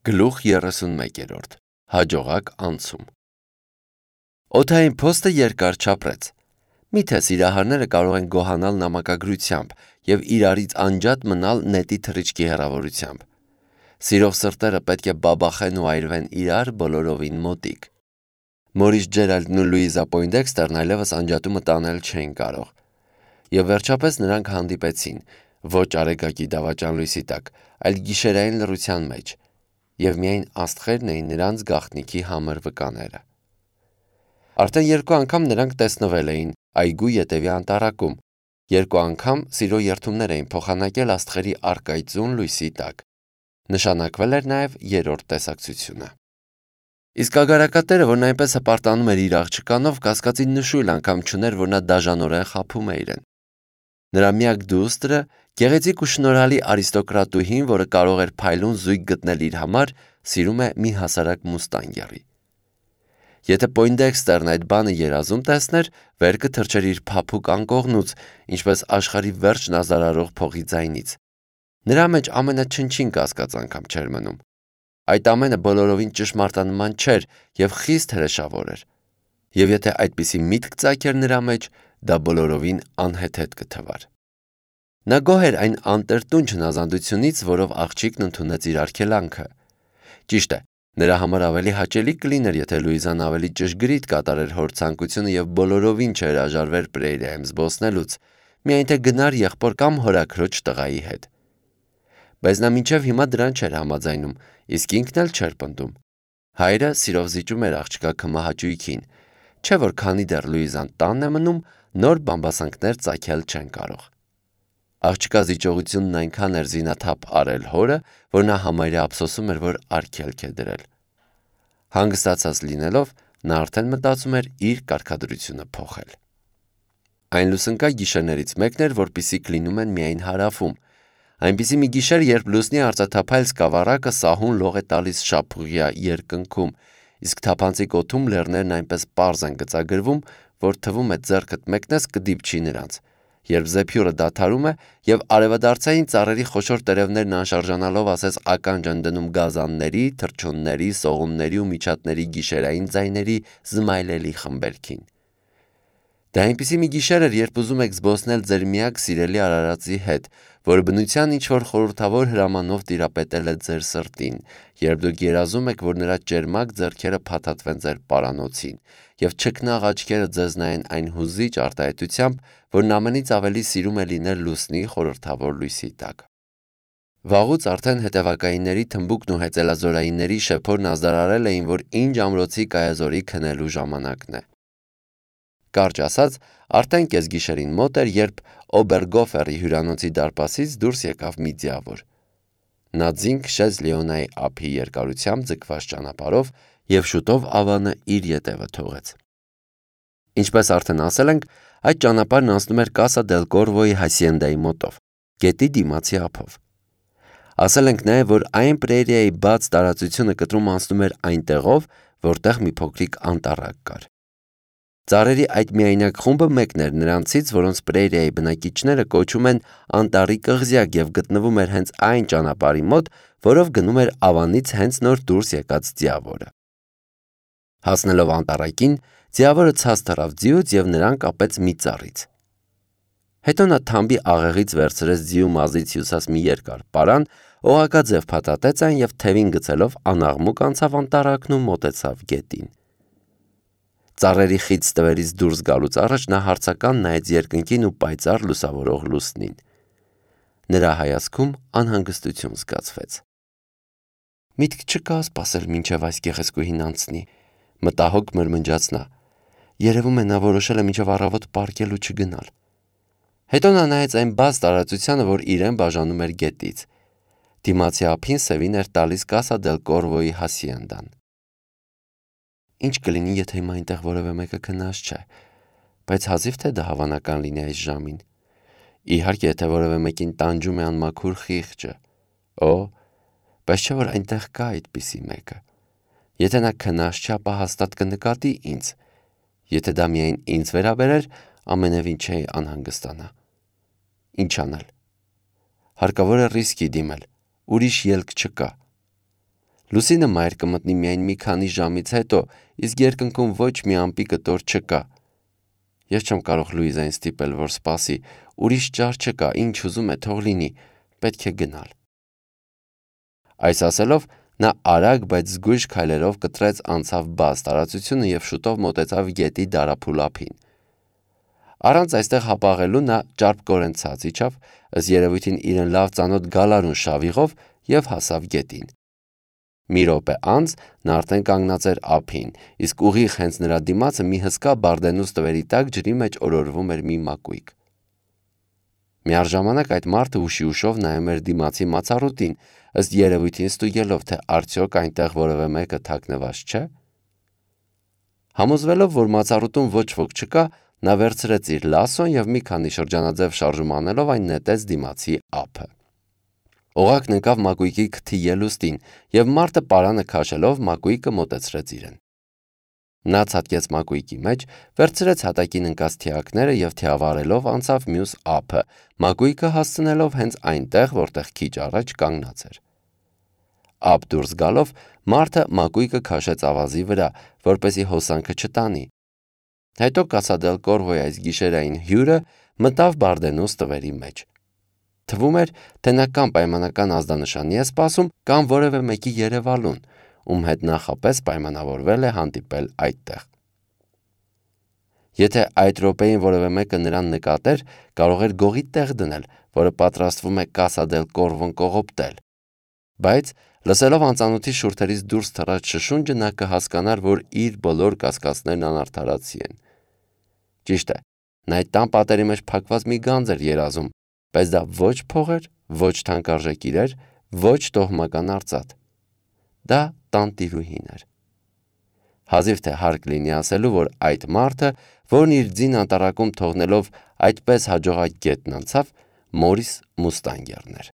Գլուխ 31 Հաջողակ անցում Օդային փոստը երկար չապրեց։ Միթե սիրահարները կարող են գոհանալ նամակագրությամբ և իրարից անջատ մնալ նետի թռիչքի հեռավորությամբ։ Սիրող սրտերը պետք է բաբախեն ու այրվեն իրար բոլորովին մոտիկ։ Մորիս Ջերալդն ու Լուիզա Պոյնդեքստերն այլևս անջատումը տանել չէին կարող։ Եվ վերջապես նրանք հանդիպեցին, ոչ արեգակի դավաճան լույսի տակ, այլ գիշերային լռության մեջ, և միայն աստղերն էին նրանց գաղտնիքի համր վկաները։ Արդեն երկու անգամ նրանք տեսնվել էին այգու ետևի անտառակում, երկու անգամ սիրո երդումներ էին փոխանակել աստղերի առկայծուն լույսի տակ։ Նշանակվել էր նաև երրորդ տեսակցությունը։ Իսկ ագարակատերը, որն այնպես հպարտանում էր իր աղջկանով, կասկածի նշույլ անգամ չուներ, որ նա դաժանորեն խաբում է իրեն։ Նրա միակ դուստրը, գեղեցիկ ու շնորհալի արիստոկրատուհին, որը կարող էր փայլուն զույգ գտնել իր համար, սիրում է մի հասարակ մուստանգերի։ Եթե Պոյնդեքստերն այդ բանը երազում տեսներ, վեր կթռչեր իր փափուկ անկողնուց, ինչպես աշխարհի վերջն ազարարող փողի ձայնից։ Նրա մեջ ամենաչնչին կասկած անգամ չէր մնում։ Այդ ամենը բոլորովին ճշմարտանման չէր և խիստ հրեշավոր էր։ Եվ եթե այդպիսի միտք ծագեր նրա մեջ, դա բոլորովին անհեթեթ կթվար։ Նա գոհ էր այն անտրտունջ հնազանդությունից, որով աղջիկն ընդունեց իր արգելանքը։ Ճիշտ է, նրա համար ավելի հաճելի կլիներ, եթե Լուիզան ավելի ճշգրիտ կատարեր հոր ցանկությունը և բոլորովին չհրաժարվեր Պրեյրիայում զբոսնելուց, միայն թե գնար եղբոր կամ հորաքրոջ տղայի հետ։ Բայց նա մինչև հիմա դրան չէր համաձայնում, իսկ ինքն էլ չէր պնդում։ Հայրը սիրով զիջում էր աղջկա քմահաճույքին, չէ՞ որ քանի դեռ Լուիզան տանն է մնում, նոր բամբասանքներ ծագել չեն կարող։ Աղջկա զիջողությունն այնքան էր զինաթափ արել հորը, որ նա համարյա ափսոսում էր, որ արգելք է դրել։ Հանգստացած լինելով, նա արդեն մտածում էր իր կարգադրությունը փոխել։ Այն լուսնկա գիշերներից մեկն էր, որպիսիք լինում են միայն հարավում։ Այնպիսի մի գիշեր, երբ լուսնի արծաթափայլ սկավառակը սահուն լող է տալիս շապուղյա երկնքում, իսկ թափանցիկ օդում լեռներն այնպես պարզ են գծագրվում, որ թվում է ձեռքդ մեկնես կդիպչի նրանց, երբ զեփյուռը դադարում է և արևադարձային ծառերի խոշոր տերևներն անշարժանալով ասես ականջ են դնում գազանների, թռչունների, սողունների ու միջատների գիշերային ձայների զմայլելի խմբերքին։ Դա այնպիսի մի գիշեր էր, երբ ուզում եք զբոսնել ձեր միակ սիրելի արարածի հետ, որը բնության ինչ-որ խորհրդավոր հրամանով տիրապետել է ձեր սրտին, երբ դուք երազում եք, որ նրա ճերմակ ձեռքերը փաթաթվեն ձեր պարանոցին, և չքնաղ աչքերը ձեզ նայեն այն հուզիչ արտահայտությամբ, որն ամենից ավելի սիրում է լինել լուսնի խորհրդավոր լույսի տակ։ Վաղուց արդեն հետևակայինների թմբուկն ու հեծելազորայինների շեփորն ազդարարել էին, որ ինչ ամրոցի կայազորի քնելու ժամանակն է։ Կարճ ասած, արդեն կեսգիշերին մոտ էր, երբ Օբերգոֆերի հյուրանոցի դարպասից դուրս եկավ մի ձիավոր։ Նա ձին քշեց Լեոնայի ափի երկարությամբ ձգված ճանապարհով և շուտով ավանը իր ետևը թողեց։ Ինչպես արդեն ասել ենք, այդ ճանապարհն անցնում էր Կասա դել Կորվոյի հասիենդայի մոտով, գետի դիմացի ափով։ Ասել ենք նաև, որ այն Պրեյրիայի բաց տարածությունը կտրում անցնում էր այնտեղով, որտեղ մի փոքրիկ անտառակ կար։ Ծառերի այդ միայնակ խումբը մեկն էր նրանցից, որոնց Պրեյրիայի բնակիչները կոչում են անտառի կղզյակ և գտնվում էր հենց այն ճանապարհի մոտ, որով գնում էր ավանից հենց նոր դուրս եկած ձիավորը։ Հասնելով անտառակին, ձիավորը ցած թռավ ձիուց և նրան կապեց մի ծառից։ Հետո նա թամբի աղեղից վերցրեց ձիու մազից հյուսած մի երկար պարան, օղակաձև փաթաթեց այն և թևին գցելով անաղմուկ անցավ անտառակն ու մոտեցավ գետին։ Ծառերի խիտ ստվերից դուրս գալուց առաջ նա հարցական նայեց երկնքին ու պայծառ լուսավորող լուսնին։ Նրա հայացքում անհանգստություն զգացվեց։ Միտք չկա սպասել մինչև այս գեղեցկուհին անցնի, մտահոգ մրմնջաց նա։ Երևում է նա որոշել է մինչև առավոտ պառկել ու չգնալ։ Հետո նա նայեց այն բաց տարածությանը, որ իրեն բաժանում էր գետից։ Դիմացի ափին սևին էր տալիս Կասա դել Կորվոյի հասիենդան։ Ինչ կլինի, եթե հիմա այնտեղ որևէ մեկը քնած չէ, բայց հազիվ թե դա հավանական լինի այս ժամին։ Իհարկե, եթե որևէ մեկին տանջում է անմաքուր խիղճը։ Օ, բայց չէ՞ որ այնտեղ կա այդպիսի մեկը։ Եթե նա քնած չէ, ապա հաստատ կնկատի ինձ։ Եթե դա միայն ինձ վերաբերեր, ամենևին չէի անհանգստանա։ Ինչ անել։ Հարկավոր է ռիսկի դիմել, ուրիշ ելք չկա։ Լուսինը մայր կմտնի միայն մի քանի ժամից հետո, իսկ երկնքում ոչ մի ամպի կտոր չկա։ Ես չեմ կարող Լուիզային ստիպել, որ սպասի, ուրիշ ճար չկա, ինչ ուզում է թող լինի, պետք է գնալ։ Այս ասելով, նա արագ, բայց զգույշ քայլերով կտրեց անցավ բաց տարածությունը և շուտով մոտեցավ գետի դարափուլ ափին։ Առանց այստեղ հապաղելու նա ճարպկորեն ցած իջավ, ըստ երևույթին իրեն լավ ծանոթ գալարուն շավիղով և հասավ գետին։ Մի րոպե անց նա արդեն կանգնած էր ափին, իսկ ուղիղ հենց նրա դիմացը մի հսկա բարդենուս տվերի տակ ջրի մեջ օրորվում էր մի մակույկ։ Միառժամանակ այդ մարդը ուշի-ուշով նայում էր դիմացի մացառուտին, ըստ երևույթին ստուգելով, թե արդյոք այնտեղ որևէ մեկը թաքնված չէ։ Համոզվելով, որ մացառուտում ոչ ոք չկա, նա վերցրեց իր լասոն և մի քանի շրջանաձև շարժում անելով այն նետեց դիմացի ափը։ Օղակն ընկավ մակույկի քթի ելուստին, և մարդը պարանը քաշելով մակույկը մոտեցրեց իրեն։ Նա ցատկեց մակույկի մեջ, վերցրեց հատակին ընկած թիակները և թիավարելով անցավ մյուս ափը, մակույկը հասցնելով հենց այնտեղ, որտեղ քիչ առաջ կանգնած էր։ Ափ դուրս գալով, մարդը մակույկը քաշեց ավազի վրա, որպեսզի հոսանքը չտանի։ Հետո Կասա դել Կորվոյի այս գիշերային հյուրը մտավ բարդենուս տվերի մեջ։ Թվում էր, թե նա կամ պայմանական ազդանշանի է սպասում, կամ որևէ մեկի երևալուն, ում հետ նախապես պայմանավորվել է հանդիպել այդտեղ։ Եթե այդ րոպեին որևէ մեկը նրան նկատեր, կարող էր գողի տեղ դնել, որը պատրաստվում է Կասա դել Կորվոն կողոպտել։ Բայց լսելով անծանոթի շուրթերից դուրս թռած շշունջը, նա կհասկանար, որ իր բոլոր կասկածներն անարդարացի են։ Ճիշտ է, նա այդ տան պատերի մեջ փակված մի գանձ էր երազում, բայց դա ոչ փող էր, ոչ թանկարժեք իրեր, ոչ տոհմական արծաթ։ Դա տանտիրուհին էր։ Հազիվ թե հարկ լինի ասելու, որ այդ մարդը, որն իր ձին անտառակում թողնելով այդպես հաջողակ գետն անցավ, Մորիս Մուստանգերն էր։